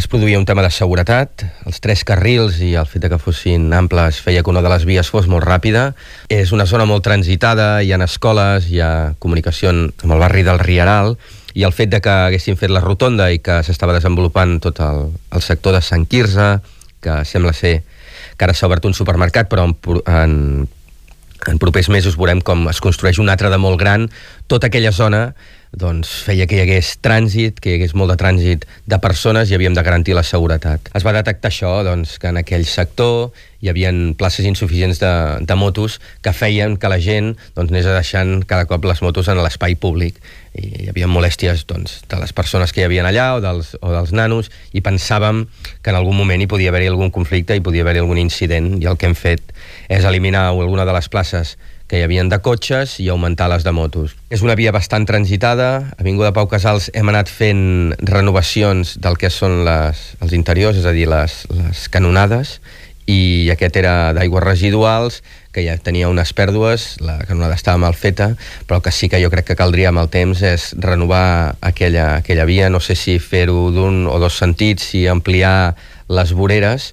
es produïa un tema de seguretat. Els 3 carrils i el fet que fossin amples feia que una de les vies fos molt ràpida. És una zona molt transitada, hi ha escoles, hi ha comunicació amb el barri del Rieral, i el fet de que haguessin fet la rotonda i que s'estava desenvolupant tot el sector de Sant Quirze, que sembla ser que ara s'ha obert un supermercat, però en propers mesos veurem com es construeix un altre de molt gran. Tota aquella zona doncs, feia que hi hagués trànsit, que hi hagués molt de trànsit de persones i havíem de garantir la seguretat. Es va detectar això, doncs, que en aquell sector hi havia places insuficients de motos que feien que la gent doncs, anés deixant cada cop les motos en l'espai públic. I hi havia molèsties doncs, de les persones que hi havia allà o dels nanos, i pensàvem que en algun moment hi podia haver-hi algun conflicte, hi podia haver-hi algun incident, i el que hem fet és eliminar alguna de les places que hi havien de cotxes i augmentar les de motos. És una via bastant transitada. A Avinguda Pau Casals hem anat fent renovacions del que són els interiors, és a dir, les canonades, i aquest era d'aigües residuals, que ja tenia unes pèrdues, la canonada estava mal feta, però que sí que jo crec que caldria amb el temps és renovar aquella via, no sé si fer-ho d'un o dos sentits, si ampliar les voreres,